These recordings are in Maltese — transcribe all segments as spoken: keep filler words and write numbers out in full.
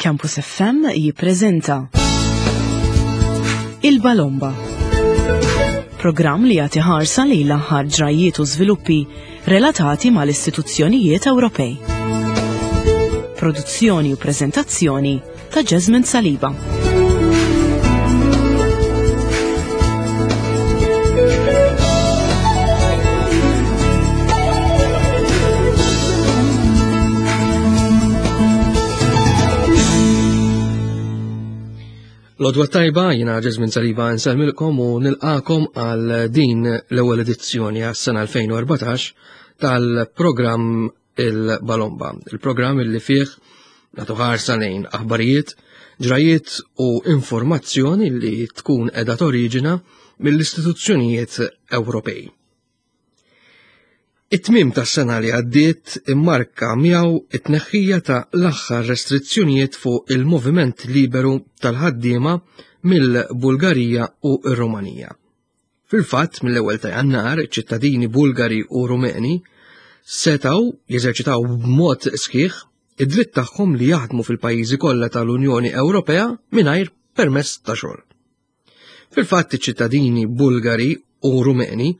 Campus F M jippreżenta Il-Balomba. Programm li jagħti ħarsa lejn l-aħħar ġrajiet u żviluppi relatati mal-istituzzjonijiet Ewropej. Produzzjoni u preżentazzjoni ta' Jasmine Saliba. L-għodwa t-tajba, jiena Jasmine Saliba nsellmilkom u nilqakom għal din l-ewwel edizzjoni għas-sena elfejn u erbatax tal-programm Il-Balomba. Il-programm li fih nagħtu ħarsa lejn aħbarijiet, ġrajiet u informazzjoni li tkun qiegħda toriġina mill-istituzzjonijiet Ewropej. It-tmiem tas-sena li għaddiet immarka miegħu it-tneħħija ta' l-aħħar restrizzjonijiet fuq il-moviment liberu tal-ħaddiema mill-Bulgarija u r-Rumanija. Fil-fatt, mill-ewwel ta' Jannar, ċittadini Bulgari u Rumeni setgħu jeżerċitaw b'mod sħiħ id-dritt tagħhom li jaħdmu fil-pajjiżi kollha tal-Unjoni Ewropea mingħajr permess ta' xogħol. Fil-fatt, iċ-ċittadini Bulgari u Rumeni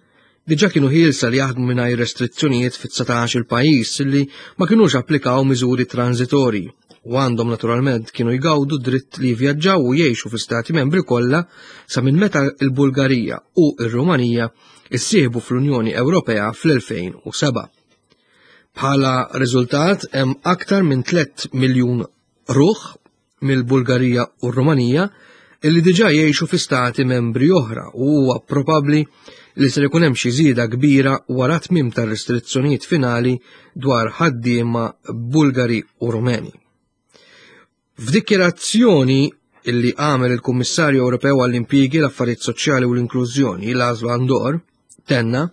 diġà kienu ħielsa li jaħdmu mingħajr restrizzjonijiet fit-dsatax il pajjiż li ma kinux applikaw miżuri transitorji u għandhom naturalment kienu jgawdu dritt li jivvjaġġaw u jgħixu fi stati membri kollha sa minn meta l-Bulgarija u r-Rumanija issieħbu fl-Unjoni Ewropea fl-elfejn u sebgħa. Bħala riżultat, hemm aktar minn tliet miljun ruħ mill-Bulgarija u r-Rumanija illi diġà jgħixu fi stati membri oħra u huwa probabbli li ser ikun hemm xi żieda kbira wara tmiem tar-restrizzjonijiet finali dwar ħaddiema Bulgari u Rumeni. F'dikjerazzjoni illi għamel il-Kummissarju Ewropew għall-Impjiegi, l-Affarijiet Soċjali u l-Inklużjoni, Laszlo Andor, tenna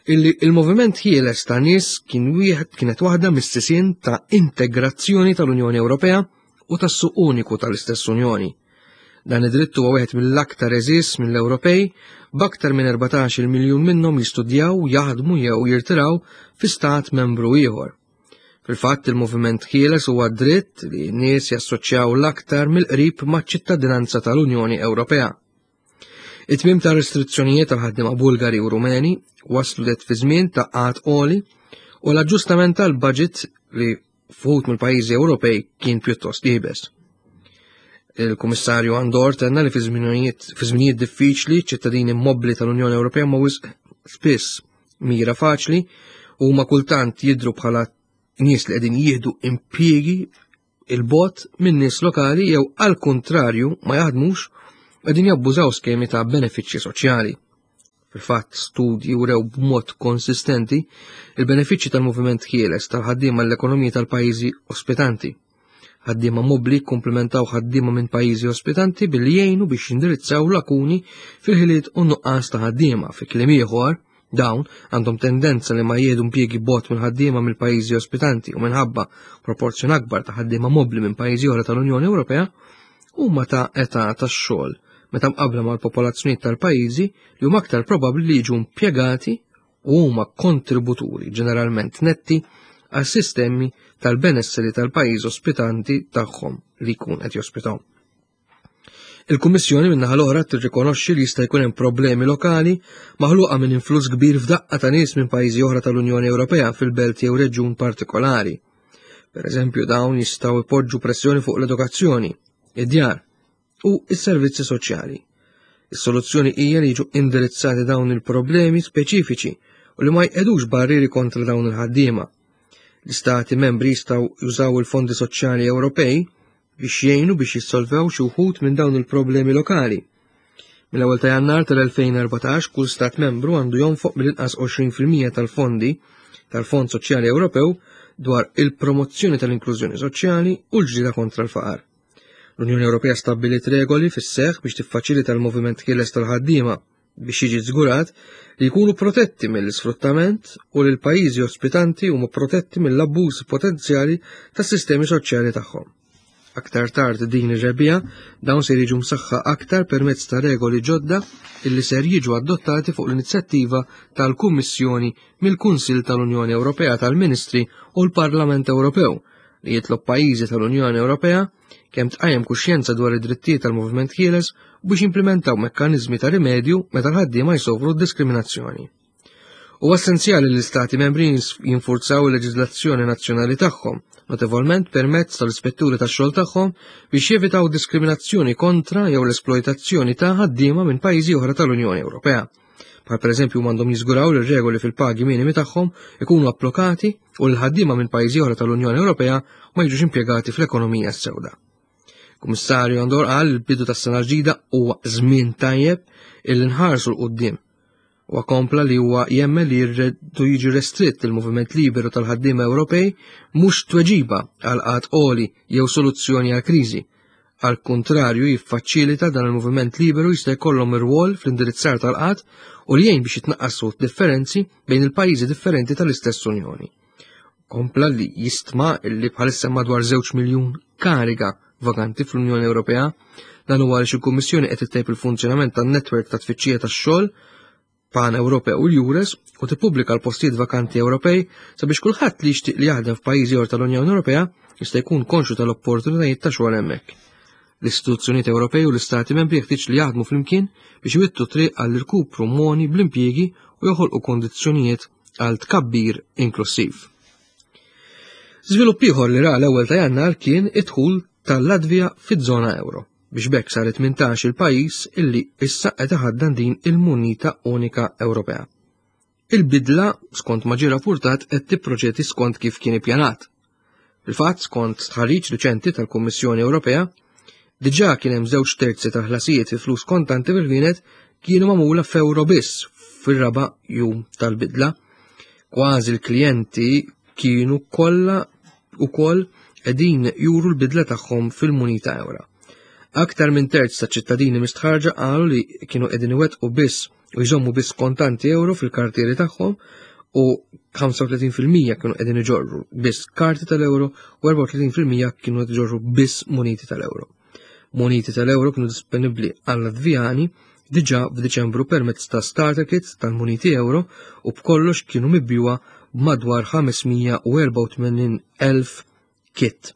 illi il-moviment ħieles ta' nies kien wieħed kienet waħda mis-sisien ta' integrazzjoni tal-Unjoni Ewropea u tas-suq uniku tal-istess Unjoni. Dan id-dritt huwa wieħed mill-aktar għeżież mill-Ewropej, b'aktar minn erbatax-il miljun minnhom jistudjaw, jaħdmu jew jirtiraw fi stat membru ieħor. Fil-fatt, il-moviment ħieles huwa dritt li n-nies jassoċjaw l-aktar mill-qrib maċ-ċittadinanza tal-Unjoni Ewropea. It-tmiem ta' restrizzjonijiet tal-ħaddiema Bulgari u Rumeni waslu det fi żmien ta' qgħad għoli u l-aġġustament tal-budget li f'uħud mill-pajjiżi Ewropej kien pjuttost iebes. Il-Kummissarju Andor tenna li fi żminijiet diffiċli ċittadini mobbli tal-Unjoni Ewropea ma wisq spiss mira faċli u ma kultant jidru bħala nies li qegħdin jieħdu impjiegi 'il bogħod minn nies lokali jew għal kontrarju ma jaħdmux, qegħdin jabbużaw skemi ta' benefiċċji soċjali. Fil-fatt, studji wrew b'mod konsistenti il-benefiċċji tal-moviment ħieles tal-ħaddiema l-ekonomija tal-pajjiżi ospitanti. Ħaddiema mobbli komplementaw ħaddiema minn pajjiżi ospitanti billi jgħinu biex jindirizzaw lakuni fil-ħiliet u nuqqas ta' ħaddiema. Fi kliem ieħor, dawn għandhom tendenza li ma jieħdu impjiegi bogħod minn ħaddiema mill-pajjiżi ospitanti u minħabba proporzjon akbar ta' ħaddiema mobbli minn pajjiżi oħra tal-Unjoni Ewropea huma ta' età tax-xogħol meta mqabbla mal-popolazzjonijiet tal-pajjiżi li huma aktar probabbli li jiġu impjegati u huma kontributuri ġeneralment netti għal sistemi tal-benesseri tal-pajjiż ospitanti tagħhom li jkun qed jospitaw. Il-Kummissjoni min-naħa l-oħra tirrikonoxxi li jista' jkun hemm problemi lokali maħluqa minn influss kbir f'daqqa ta' nies minn pajjiżi oħra tal-Unjoni Ewropea fil-belt jew reġjun partikolari. Per eżempju, dawn jistgħu jpoġġu pressjoni fuq l-edukazzjoni, id-djar u s-servizzi soċjali. Is-soluzzjoni hija li jiġu indirizzati dawn il-problemi speċifiċi u li ma jqegħdux barrieri kontra dawn il-ħaddiema. L-istati membri jistgħu jużaw il-fondi soċjali Ewropej biex jgħinu biex jissolvew xi wħud minn dawn il-problemi lokali. Mill-ewwel ta' Jannar tal-elfejn u erbatax kull stat membru għandu jonfoq mill-inqas għoxrin fil-mija tal-fondi tal-Fond Soċjali Ewropew dwar il-promozzjoni tal-inklużjoni soċjali u l-ġlieda kontra l-faqar. L-Unjoni Ewropea stabbiliet regoli fis-seħħ biex tiffaċilita l-moviment ħieles tal-ħaddiema biex jiġi żgurat li jkunu protetti mill-isfruttament u li l-pajjiżi ospitanti huma protetti mill-abbuż potenzjali tas-sistemi soċjali tagħhom. Aktar tard din ir-rebbiegħa dawn se jiġu msaħħa aktar permezz ta' regoli ġodda illi ser jiġu adottati fuq l-inizjattiva tal-Kummissjoni mill-Kunsill tal-Unjoni Ewropea tal-Ministri u l-Parlament Ewropew li jitlob pajjiżi tal-Unjoni Ewropea kemm tqajjem kuxjenza dwar id-drittijiet tal-moviment ħieles u biex jimplementaw mekkaniżmi ta' rimedju meta l-ħaddiema jsofru diskriminazzjoni. Huwa essenzjali li l-Istati membri jinfurzaw il-leġiżlazzjoni nazzjonali tagħhom, notevolment permezz tal-ispetturi tax-xogħol tagħhom biex jevitaw diskriminazzjoni kontra jew l-esploitazzjoni ta' ħaddiema minn pajjiżi oħra tal-Unjoni Ewropea. Bħal pereżempju m'għandhom jiżguraw li r-regoli fil-pagi minimi tagħhom ikunu applikati u l-ħaddiema minn pajjiżi oħra tal-Unjoni Ewropea ma jiġux impjegati fl-ekonomija s-sewda. Kummissarju Andor qal il-bidu tas-sena l-ġdida huwa żmien tajjeb illi nħarsu 'l quddiem. Huwa kompla li huwa jemmen li jridu jiġi restritt il-moviment liberu tal-ħaddiema Ewropej mhux tweġiba għal qgħad għoli jew soluzzjoni għal kriżi. Għal kuntrarju jiffaċilita dan il-moviment liberu jista' jkollhom irwol fl-indirizzar tal-qgħad u li jgħin biex jitnaqqasu differenzi bejn il-pajjiżi differenti tal-istess Unjoni. Kompla li jistma li bħalissa madwar żewġ miljun kariga vakanti fl-Unjoni Ewropea. Dan huwa għaliex il-Kummissjoni qed ittejjeb il-funzjonament tan-netwerk ta' tfittxija tax-xogħol pan-Ewropew u l-EURES u tippubblika l-postijiet vakanti Ewropej sabiex kulħadd li jixtieq li jaħdem f'pajjiżi oħra tal-Unjoni Ewropea jista' jkun konxju tal-opportunitajiet ta' xogħol hemmhekk. L-istituzzjonijiet Ewropej u l-Istati membri jeħtieġ li jaħdmu flimkien biex iwittu triq għall-irkupru moni bl-impjiegi u joħolqu kondizzjonijiet għal tkabbir inklusiv. Żvilupp ieħor li ra l-ewwel ta' Jannar kien id-dħul tal-Latvija fiż-żona euro, biex b'hekk saret tmintax il-pajjiż illi issa qed iħaddan din il-munita unika Ewropea. Il-bidla, skont ma ġie rappurtat, qed tipproċedi skont kif kien ippjanat. Fil-fatt, skont stħarriġ riċenti tal-Kummissjoni Ewropea, diġà kien hemm żewġ terzi ta' ħlasijiet fi flus kontanti fil-ħwienet kienu magħmula f'euro biss fir-raba' jum tal-bidla. Kważi l-klijenti kienu kollha ukoll qegħdin juru l-bidla tagħhom fil-munita ewra. Aktar minn terz ta' ċittadini mistħarġa qalu li kienu qegħdin iwettqu biss u jżommu biss kontanti euro fil-kartieri tagħhom u ħamsa u tletin fil-mija kienu qegħdin iġorru biss karti tal-euro u erbgħa u tletin fil-mija kienu qed iġorru biss muniti tal-euro. Muniti tal-euro kienu disponibbli għal-Latvijani diġà f'Diċembru permezz ta' starter kits tal-muniti euro u b'kollox kienu mibjuwa b'madwar ħames mija u erbgħa u tmenin elf kit.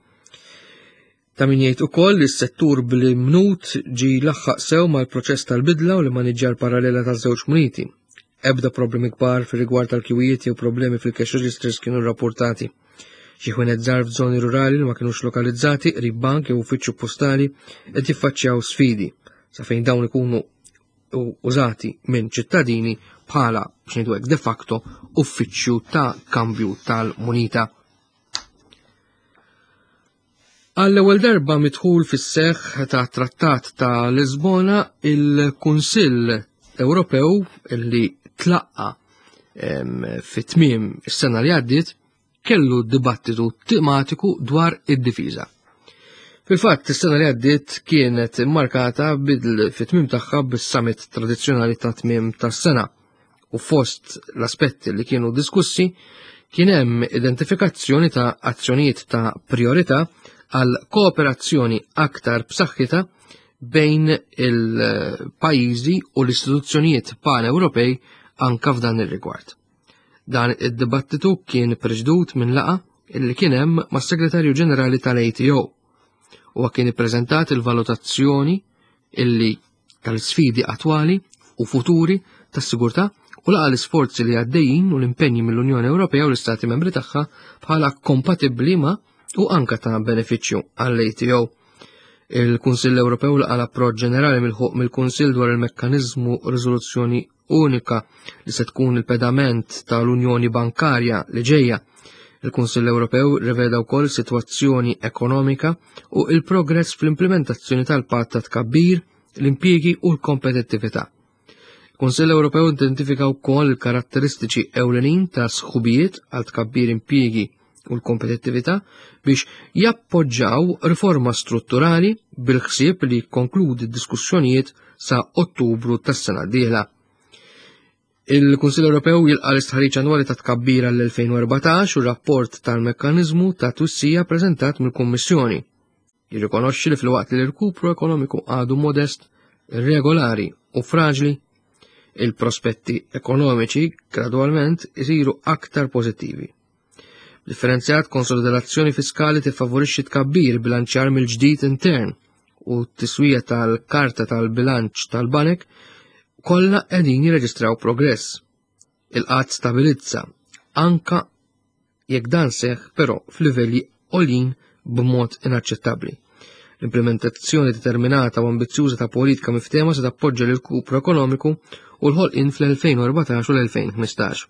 Ta' min jgħid ukoll li s-settur bl-imnut ġi laħħaq sew mal-proċess tal-bidla u l-maniġġar parallela taż-żewġ muniti. Ebda problemi kbar fir-rigward tal-kwijiet jew problemi fil-cash registers kienu rrapportati. Xi ħwienet żgħar f'żoni rurali li ma kinux lokalizzati qrib bank jew uffiċċju postali qed jiffaċċjaw sfidi sa fejn dawn ikunu użati minn ċittadini bħala, biex ngħidu hekk, de facto uffiċċju ta' kambju tal-munita. Għall-ewwel darba midħul fis-seħħ ta' Trattat ta' Lisbona, il-Kunsill Ewropew li tlaqqa, em, fit-tmiem is-sena li għaddiet kellu dibattitu tematiku dwar id-difiża. Fil-fatt, is-sena li għaddiet kienet immarkata bil-, fit-tmiem tagħha bis-summit tradizzjonali ta' tmiem tas-sena u fost l-aspetti li kienu diskussi kien hemm identifikazzjoni ta' azzjonijiet ta' priorità għal kooperazzjoni aktar b'saħħitha bejn il-pajjiżi u l-istituzzjonijiet pan-Ewropej anka f'dan ir-rigward. Dan id-dibattitu kien preġdut minn laqa illi kien hemm mas-Segretarju Ġenerali tal-A T O. Huwa kien ippreżentat il-valutazzjoni illi tal-sfidi attwali u futuri tas-sigurtà u laqa l-isforzi li għaddejjin u l-impenji mill-Unjoni Ewropea u l-Istati Membri tagħha bħala kompatibbli ma' u anka ta' benefiċċju għall-A T O. Il-Kunsill Ewropew laqa l-approċċ ġenerali milħuq mill-Kunsill dwar il-mekkaniżmu riżoluzzjoni unika li se tkun il-pedament tal-Unjoni Bankarja li ġejja. Il-Kunsill Ewropew riveda wkoll sitwazzjoni ekonomika u il-progress fl-implementazzjoni tal-patt ta' tkabbir, l-impjiegi u l-kompetittività. Il-Kunsill Ewropew identifika wkoll il-karatteristiċi ewlenin ta' sħubijiet għal tkabbir impjiegi u l-kompetittività biex jappoġġaw riforma strutturali bil-ħsieb li jikkonkludi d-diskussjonijiet sa' Ottubru tas-sena d-dieħla. Il-Kunsill Ewropew jilqa' l-istħarriġ annwali ta' tkabbir għall-elfejn u erbatax u rapport tal-mekkaniżmu ta' twissija preżentat mill-Kummissjoni. Jirrikonoxxi li filwaqt li l-irkupru ekonomiku għadu modest, irregolari u fraġli, il-prospetti ekonomiċi gradwalment isiru aktar pożittivi. Differenzjat konsolidazzjoni fiskali tiffavorixxi tkabbir bilanċjar mill-ġdid intern u t-tiswija tal-karta tal-bilanċ tal-banek kollha qegħdin jirreġistraw progress. Il-qgħad stabilizza anka jekk dan seħħ però f'livelli għoljin b'mod inaċċettabbli. L-implementazzjoni determinata u ambizzjuża ta' politika miftehma se tappoġġa l-irkupru ekonomiku u l-ħolqien fl-elfejn u erbatax u l-elfejn u ħmistax.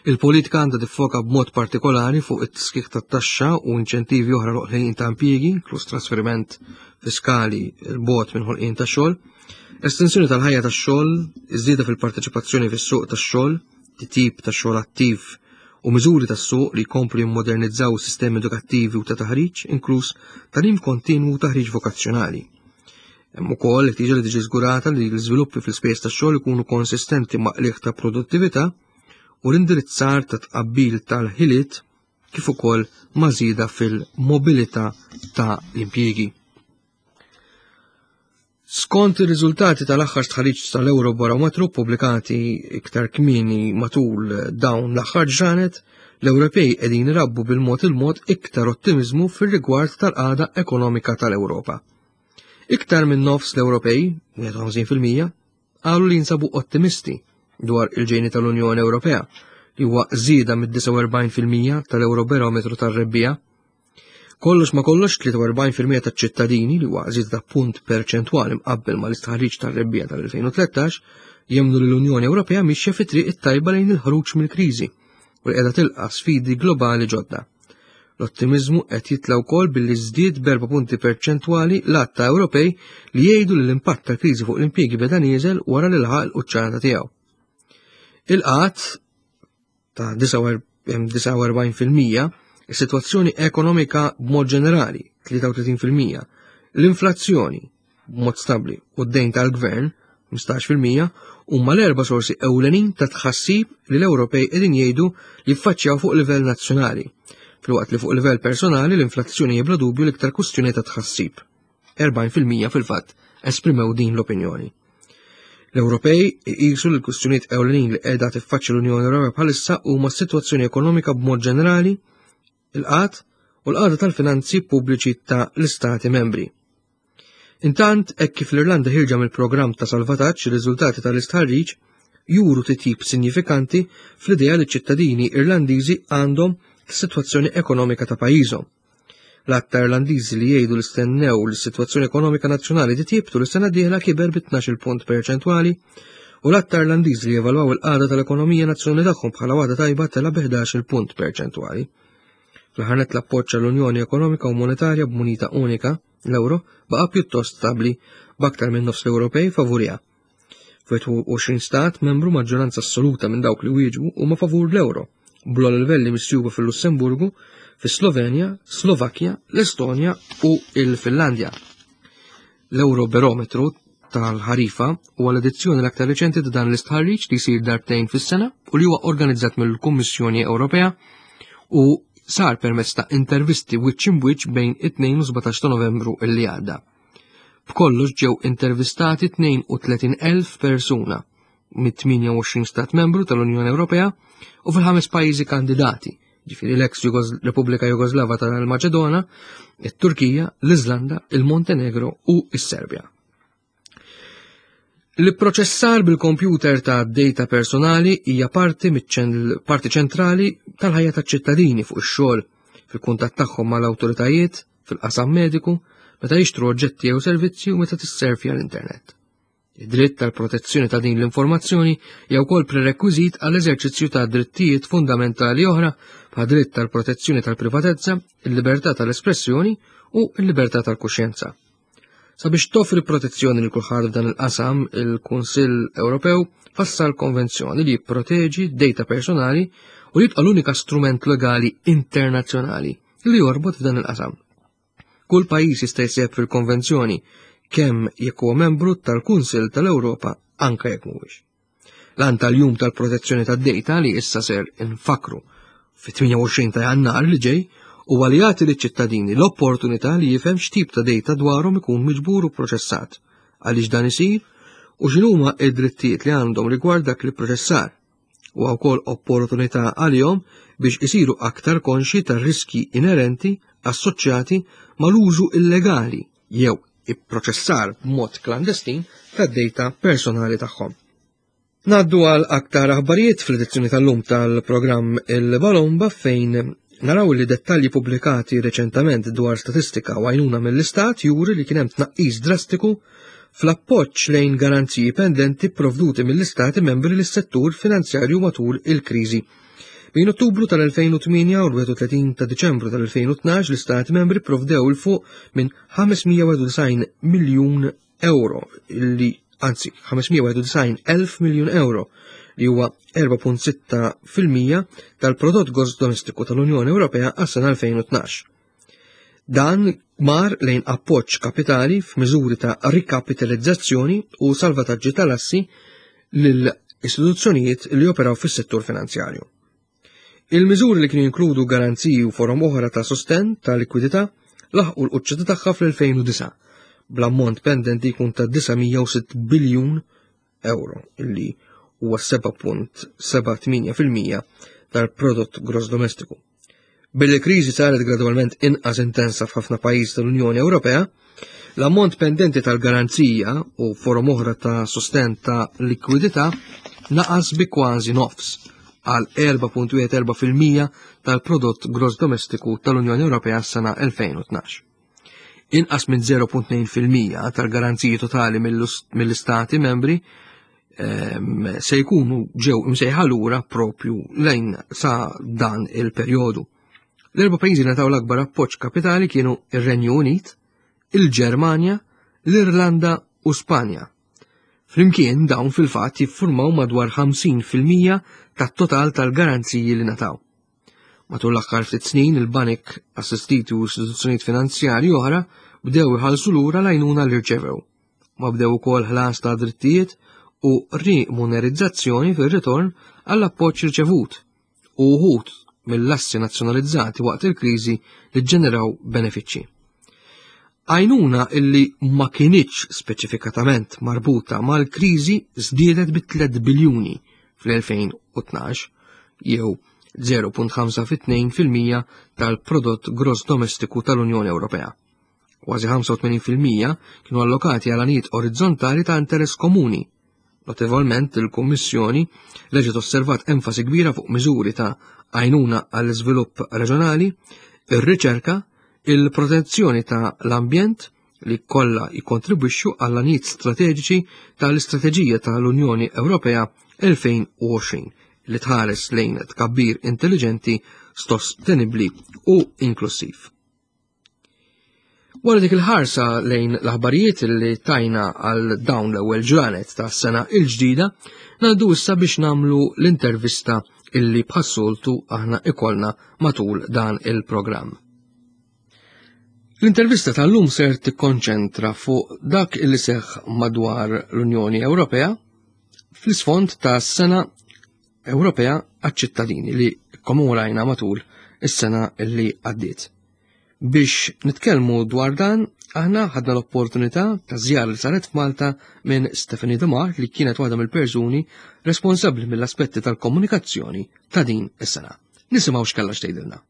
Il-politika għandha tiffoka b'mod partikolari fuq it-tisħiħ tat-taxxa u inċentivi oħra l-ħolqien ta' impjiegi, inkluż trasferiment fiskali l-bogħod minn ħolqien ta' xogħol, estensjoni tal-ħajja tax-xogħol, iż-żieda fil-parteċipazzjoni fis-suq tax-xogħol, titjib ta' xogħol attiv u miżuri tas-suq li jkomplu jimmodernizzaw sistemi edukattivi u ta' taħriġ, inkluż tagħlim kontinwu u taħriġ vokazzjonali. Hemm ukoll ħtieġa li tiġi żgurata li l-iżviluppi fl-ispejjeż tax-xogħol ikunu konsistenti ma' qligħ ta' produttività u l-indirizzar ta' tqabbil tal-ħiliet kif ukoll ma' żieda fil-mobilità ta' l-impjiegi. Skont ir-riżultati tal-aħħar stħarriġ tal-Eurobarometru pubblikati iktar kmieni matul dawn l-aħħar ġranet, l-Ewropej qegħdin irabbu bil-mod il-mod iktar ottimiżmu fir-rigward tal-qagħda ekonomika tal-Ewropa. Iktar minn nofs l-Ewropej, wieħed u ħamsin fil-mija, qalu li jinsabu ottimisti dwar il-ġejni tal-Unjoni Ewropea, li huwa żieda mid-disgħa u erbgħin fil-mija tal-Eurobarometru tar-rebbiegħa. Kollox ma kollox, tlieta u erbgħin fil-mija taċ-ċittadini, li huwa żieda ta' punt perċentwali mqabbel mal-istħarriġ tar-rebbiegħa tal-elfejn u tlettax, jemmnu li l-Unjoni Ewropea mixja fi triq it-tajba lejn il-ħruġ mill-kriżi u li qiegħda tilqa' sfidi globali ġodda. L-ottimiżmu qed jitla' wkoll billi żdied b'erba' punti perċentwali l-għadd ta' Ewropej li jgħidu li l-impatt tal-kriżi fuq l-impjiegi beda nieżel wara li laħaq il-quċċata tiegħu. Il-qgħad ta' disgħa u erbgħin fil-mija, is-sitwazzjoni ekonomika b'mod ġenerali tlieta u tletin fil-mija, l-inflazzjoni b'mod stabbli u d-dejn tal-gvern ħmistax fil-mija huma l-erba' sorsi ewlenin ta' tħassib li l-Ewropej qegħdin jgħidu li jiffaċċjaw fuq livell nazzjonali, filwaqt li fuq livell personali l-inflazzjoni hija bla dubju l-iktar kwistjoni ta' tħassib. erbgħin fil-mija fil-fatt esprimew din l-opinjoni. L-Ewropej iqisu li l-kwistjonijiet ewlenin li qiegħda tiffaċċja l-Unjoni Ewropea bħalissa huma s-sitwazzjoni ekonomika b'mod ġenerali, il-qgħad u l-qagħda tal-finanzi pubbliċi ta' l-Istati membri. Intant, hekk kif l-Irlanda ħirġa mill-programm ta' salvataġġ, ir-riżultati tal-istħarriġ juru titjib sinjifikanti fl-idea li ċ-ċittadini Irlandiżi għandhom s-sitwazzjoni ekonomika ta' pajjiżhom. L-għadd ta' Irlandiżi li jgħidu li stennew li s-sitwazzjoni ekonomika nazzjonali titjib tul is-sena d-dieħla kiber bi tnax-il punt perċentwali u l-għadd ta' Irlandiżi li jevalwaw il-qagħda tal-ekonomija nazzjonali tagħhom bħala waħda tajba tela' bi ħdax-il punt perċentwali. Fl-aħħar nett l-appoġġ għall-Unjoni Ekonomika u Monetarja b'munita unika, l-euro, baqa' pjuttost stabbli b'aktar minn nofs l-Ewropej favuriha. F'wieħed u għoxrin stat membru maġġoranza assoluta minn dawk li wieġbu huma favur l-euro, bl-ogħla livelli misjuba fil-Lussemburgu, fis-Slovenja, Slovakkja, l-Estonja u l-Finlandja. L-Eurobarometru tal-ħarifa huwa l-edizzjoni l-aktar reċenti ta' dan l-istħarriġ li jsir darbtejn fis-sena u li huwa organizzat mill-Kummissjoni Ewropea u sar permezz ta' intervisti wiċċ imbwiċċ bejn it-tnejn u sbatax ta' Novembru li għadda. B'kollox ġew intervistati tnejn u tletin elf persuna mit-tmienja u għoxrin stat membru tal-Unjoni Ewropea u fil-ħames pajjiżi kandidati, ġifieri l-ex Jugos-, Repubblika Jugoslava tal-Maċedona, it-Turkija, l-Iżlanda, il-Montenegro u s-Serbja. L-ipproċessar bil-kompjuter ta' data personali hija parti miċ-ċen-, parti ċentrali tal-ħajja taċ-ċittadini fuq ix-xogħol, fil-kuntatt tagħhom mal-awtoritajiet, fil-qasam mediku, meta jixtru oġġetti jew servizzi u meta tisservja l-internet. Id-dritt tal-protezzjoni ta' din l-informazzjoni hija wkoll prerekwiżit għall-eżerċizzju ta' drittijiet fundamentali oħra bħal dritt tal-protezzjoni tal-privatezza, il-libertà tal-espressjoni u l-libertà tal-kuxjenza. Sabiex toffri protezzjoni lil kulħadd f'dan il-qasam, il-Kunsill Ewropew fassal konvenzjoni li jipproteġi data personali u jibqa' l-unika strument legali internazzjonali li jorbot f'dan il-qasam. Kull pajjiż jista' jseb fil-konvenzjoni kemm jekk huwa membru tal-Kunsill tal-Ewropa anke jekk mhuwiex. L-għan tal-jum tal-protezzjoni tad-data li issa ser infakru fit-tmienja u għoxrin ta' Jannar li ġej huwa li jagħti liċ-ċittadini l-opportunità li jifhem x'tip ta' data dwarhom ikun miġbur u proċessat, għaliex dan isir u x'inhuma id-drittijiet li għandhom rigward dak li proċessar. U wkoll opportunità għalihom biex isiru aktar konxi tar-riski inerenti assoċjati mal-użu illegali jew ipproċessar b'mod klandestin tad-data personali tagħhom. Ngħaddu għal aktar aħbarijiet fl-edizzjoni tal-lum tal-programm Il-Balomba, fejn naraw li dettalji pubblikati reċentament dwar statistika u għajnuna mill-Istat juri li kien hemm tnaqqis drastiku fl-appoġġ lejn garanziji pendenti provduti mill-Istati membri lis-settur finanzjarju matul il-kriżi. Bejn Ottubru tal-elfejn u tmienja u l-wieħed u tletin ta' Diċembru tal-elfejn u tnax, l-Istati membri provdew 'il fuq minn ħames mija u wieħed u disgħin miljun euro, li anzi ħames mija u wieħed u disgħin elf miljun euro, li huwa erbgħa punt sitta fil-mija tal-prodott gross domestiku tal-Unjoni Ewropea għas-sena elfejn u tnax. Dan mar lejn appoġġ kapitali f'miżuri ta' rikapitalizzazzjoni u salvataġġi tal-assi lil istituzzjonijiet li operaw fis-settur finanzjarju. Il-miżuri, li kienu jinkludu garanziji u forom oħra ta' sosten ta' likwidità, laħqu l-quċċata tagħha fl-elfejn u disgħa, bl-ammont pendenti jkun ta' disa' mija u sitt biljun euro, illi huwa seba' punt seba' tmienja fil-mija tal-prodott gross domestiku. Billi kriżi saret gradwalment inqas intensa f'ħafna pajjiż tal-Unjoni Ewropea, l-ammont pendenti tal-garanzija u forom oħra ta' sosten ta' likwidità naqas bi kważi nofs għal erbgħa punt wieħed erbgħa fil-mija tal-prodott gross domestiku tal-Unjoni Ewropea s-sena elfejn u tnax. Inqas minn żero punt tnejn fil-mija tal-garanziji totali mill-istati membri ehm, se jkunu ġew imsejħa lura propju lejn sa dan il-perjodu. L-erba' pajjiżi li ngħataw l-akbar appoġġ kapitali kienu ir-Renju Unit, il-Ġermanja, l-Irlanda u Spanja. Flimkien dawn fil-fatt jiffurmaw madwar ħamsin fil-mija tat-total tal-garanziji li ngħataw. Matul l-aħħar ftit snin, il-banek assistiti u istituzzjonijiet finanzjarji oħra bdew iħallsu lura l-għajnuna li rċevew. Ma bdew ukoll ħlas ta' drittijiet u rimunerizzazzjoni fir-ritorn għall-appoġġ riċevut u uħud mill-assi nazzjonalizzati waqt il-kriżi li ġeneraw benefiċċji. Għajnuna illi ma kinitx speċifikatament marbuta mal-kriżi żdiedet bi tliet biljuni fl-elfejn u tnax, jew żero punt ħamsa fi tnejn fil-mija tal-prodott gross domestiku tal-Unjoni Ewropea. Kważi ħamsa u tmenin fil-mija kienu allokati għal għanijiet orizzontali ta' interess komuni. Notevolment, il-Kummissjoni reġgħet osservat enfasi kbira fuq miżuri ta' għajnuna għall-iżvilupp reġjonali, ir-riċerka, il-protezzjoni ta' l-ambjent, li kollha jikkontribwixxu għall għanijiet strateġiċi tal-Istrateġija tal-Unjoni Ewropea elfejn u għoxrin, li tħares lejn tkabbir intelligenti, sostenibbli u inklusiv. Wara dik il-ħarsa lejn l-aħbarijiet li tajna għal dawn l-ewwel ġranet ta' sena il-ġdida, ngħaddu issa biex nagħmlu l-intervista illi bħas-soltu aħna ikollna matul dan il-programm. L-intervista tal-lum ser tikkonċentra fuq dak illi seħ madwar l-Unjoni Ewropea fl-isfond ta' sena Ewropea għaċ-ċittadini li kommemorajna matul is-sena illi għaddiet. Biex nitkellmu dwar dan, aħna ħadna l-opportunità ta' żjara li saret f'Malta minn Stephanie Demar, li kienet waħda mill-persuni responsabbli mill-aspetti tal-komunikazzjoni ta' din is-sena. Nisimgħu x'kellha x'tgħidilna.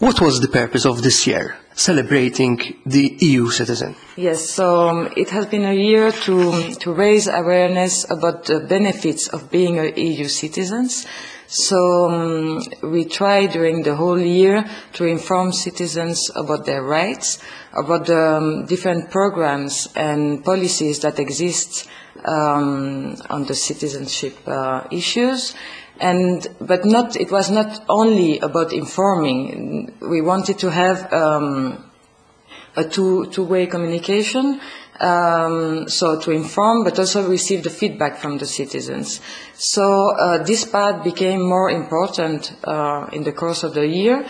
What was the purpose of this year, celebrating the E U citizen? Yes, so um, it has been a year to, to raise awareness about the benefits of being a E U citizens. So um, we try during the whole year to inform citizens about their rights, about the um, different programs and policies that exist um, on the citizenship uh, issues. And, but not, it was not only about informing. We wanted to have um, a two, two-way communication. Um, so to inform, but also receive the feedback from the citizens. So uh, this part became more important uh, in the course of the year,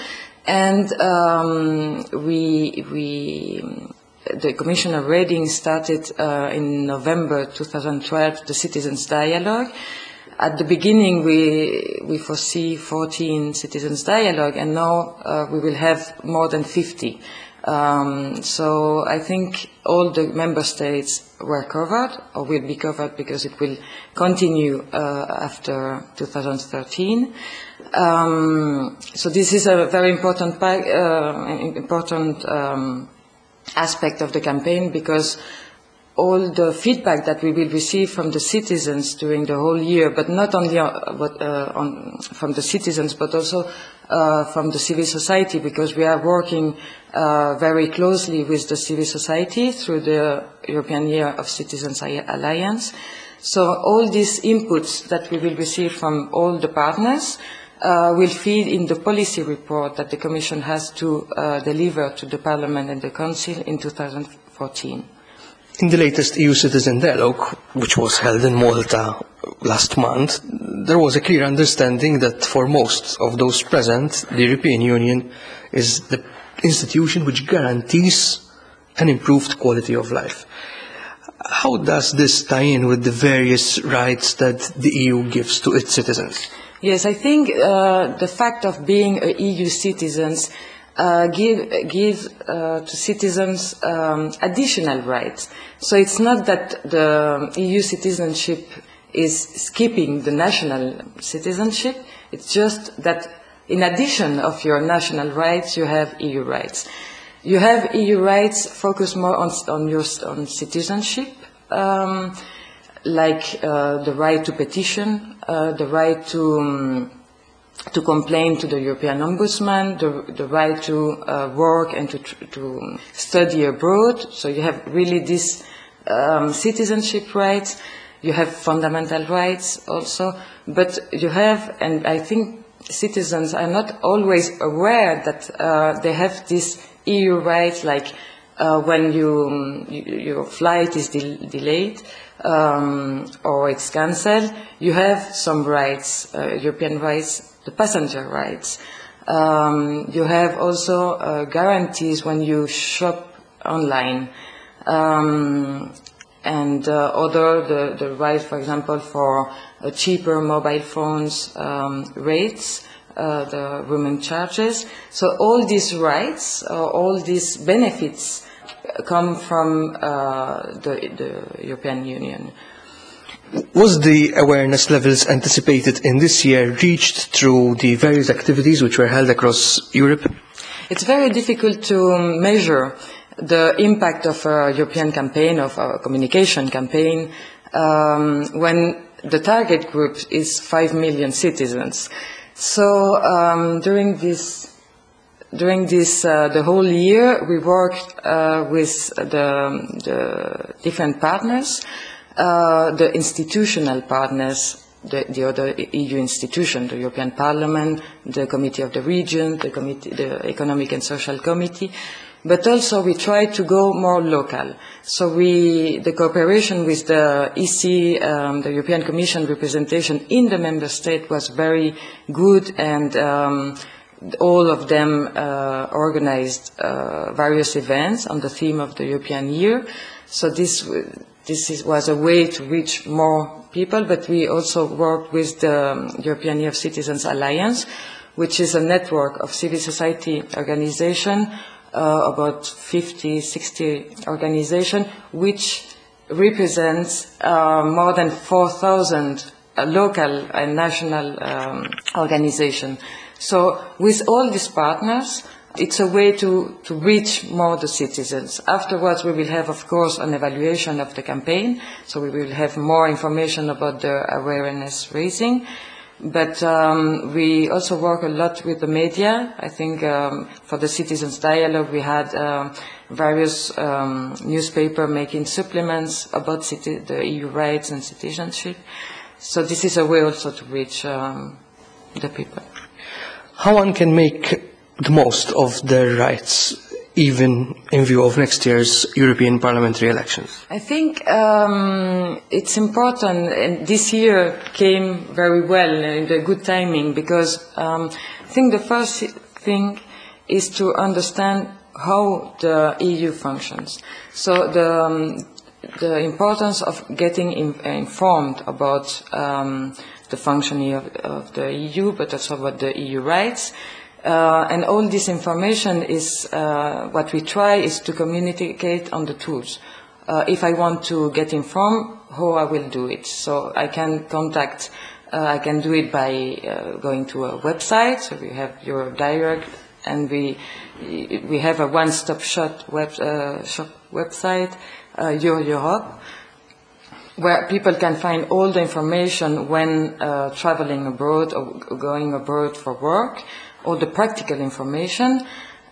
and um, we, we, the Commissioner Reding started uh, in November twenty twelve the Citizens Dialogue. At the beginning, we, we foresee fourteen Citizens Dialogue, and now uh, we will have more than fifty. Um, so I think all the member states were covered or will be covered because it will continue uh, after two thousand thirteen. Um, so this is a very important, uh, important um, aspect of the campaign, because all the feedback that we will receive from the citizens during the whole year, but not only uh, but, uh, on, from the citizens, but also uh, from the civil society, because we are working uh, very closely with the civil society through the European Year of Citizens Alliance. So all these inputs that we will receive from all the partners uh, will feed in the policy report that the Commission has to uh, deliver to the Parliament and the Council in two thousand fourteen. In the latest E U Citizen Dialogue, which was held in Malta last month, there was a clear understanding that for most of those present, the European Union is the institution which guarantees an improved quality of life. How does this tie in with the various rights that the E U gives to its citizens? Yes, I think uh, the fact of being E U citizens Uh, give, give uh, to citizens um, additional rights. So it's not that the E U citizenship is skipping the national citizenship, it's just that in addition of your national rights, you have E U rights. You have E U rights focused more on, on your on citizenship, um, like uh, the right to petition, uh, the right to... Um, to complain to the European Ombudsman, the, the right to uh, work and to, to study abroad. So you have really this um, citizenship rights, you have fundamental rights also, but you have, and I think citizens are not always aware that uh, they have this E U rights, like uh, when you, you, your flight is de- delayed, um, or it's cancelled, you have some rights, uh, European rights, the passenger rights. Um, you have also uh, guarantees when you shop online. Um, and uh, other, the, the right, for example, for uh, cheaper mobile phones um, rates, uh, the roaming charges. So all these rights, uh, all these benefits come from uh, the, the European Union. Was the awareness levels anticipated in this year reached through the various activities which were held across Europe? It's very difficult to measure the impact of a European campaign, of a communication campaign, um, when the target group is five million citizens. So um, during this During this, uh, the whole year, we worked uh, with the, the different partners, uh, the institutional partners, the, the other E U institution, the European Parliament, the Committee of the Region, the, Committee, the Economic and Social Committee, but also we try to go more local. So we, the cooperation with the E C, um, the European Commission representation in the member state was very good, and um, all of them uh, organized uh, various events on the theme of the European Year. So this, this is, was a way to reach more people, but we also worked with the European Year of Citizens Alliance, which is a network of civil society organizations, uh, about fifty, sixty organizations, which represents, uh, more than four thousand local and national, um, organizations. So with all these partners, it's a way to, to reach more the citizens. Afterwards, we will have, of course, an evaluation of the campaign, so we will have more information about the awareness raising. But, um, we also work a lot with the media. I think, um, for the Citizens Dialogue, we had, um, various, um, newspaper making supplements about city, the E U rights and citizenship. So this is a way also to reach, um, the people. How one can make the most of their rights even in view of next year's European parliamentary elections? I think um, it's important, and this year came very well, in the good timing, because um, I think the first thing is to understand how the E U functions. So the, um, the importance of getting in, informed about um, the functioning of, of the E U, but also about the E U rights. Uh, and all this information is, uh, what we try is to communicate on the tools. Uh, if I want to get informed, how I will do it. So I can contact, uh, I can do it by, uh, going to a website. So we have Europe Direct, and we, we have a one-stop shop, web, uh, shop website, uh, Your Europe, where people can find all the information when, uh, traveling abroad or going abroad for work, all the practical information,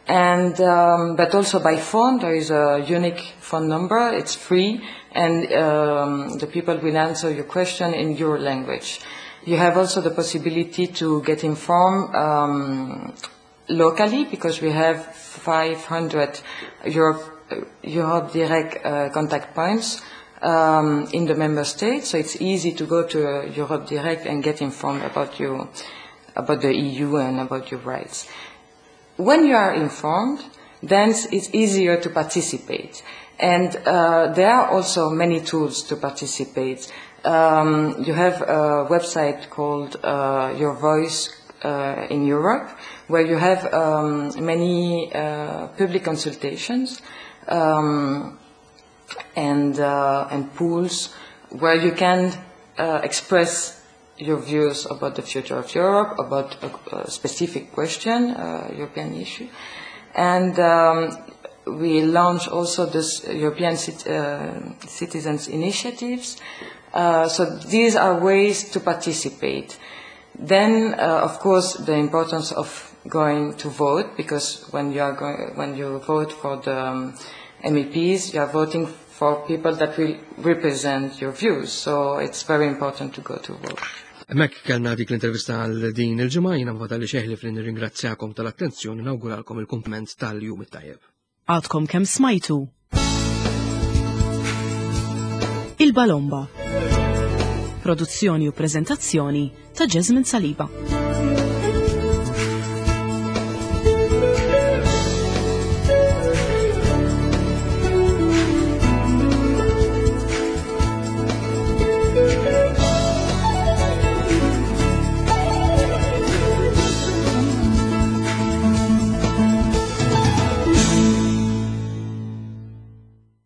and, um, but also by phone. There is a unique phone number. It's free, and, um, the people will answer your question in your language. You have also the possibility to get informed, um, locally, because we have five hundred Europe, Europe Direct, uh, contact points, um, in the member states, so it's easy to go to, uh, Europe Direct and get informed about your, about the E U and about your rights. When you are informed, then it's easier to participate. And, uh, there are also many tools to participate. Um, you have a website called, uh, Your Voice, uh, in Europe, where you have, um, many, uh, public consultations, um, and, uh, and pools where you can, uh, express your views about the future of Europe, about a, a specific question, uh, European issue. And, um, we launch also this European cit-, uh, Citizens Initiatives. Uh, so these are ways to participate. Then, uh, of course, the importance of going to vote, because when you are going, when you vote for the, um, M E Ps, you are voting for people that will represent your views. So it's very important to go to vote. Hemmhekk kellna dik l-intervista għal din il-ġimgħa, jiena ma fadalli xejn ħlief li nirringrazzjakom tal-attenzjoni, nawguralkom il-kumplament tal-jum it-tajjeb. Għadkom kemm smajtu Il-Balomba. Produzzjoni u preżentazzjoni ta' Jasmine Saliba.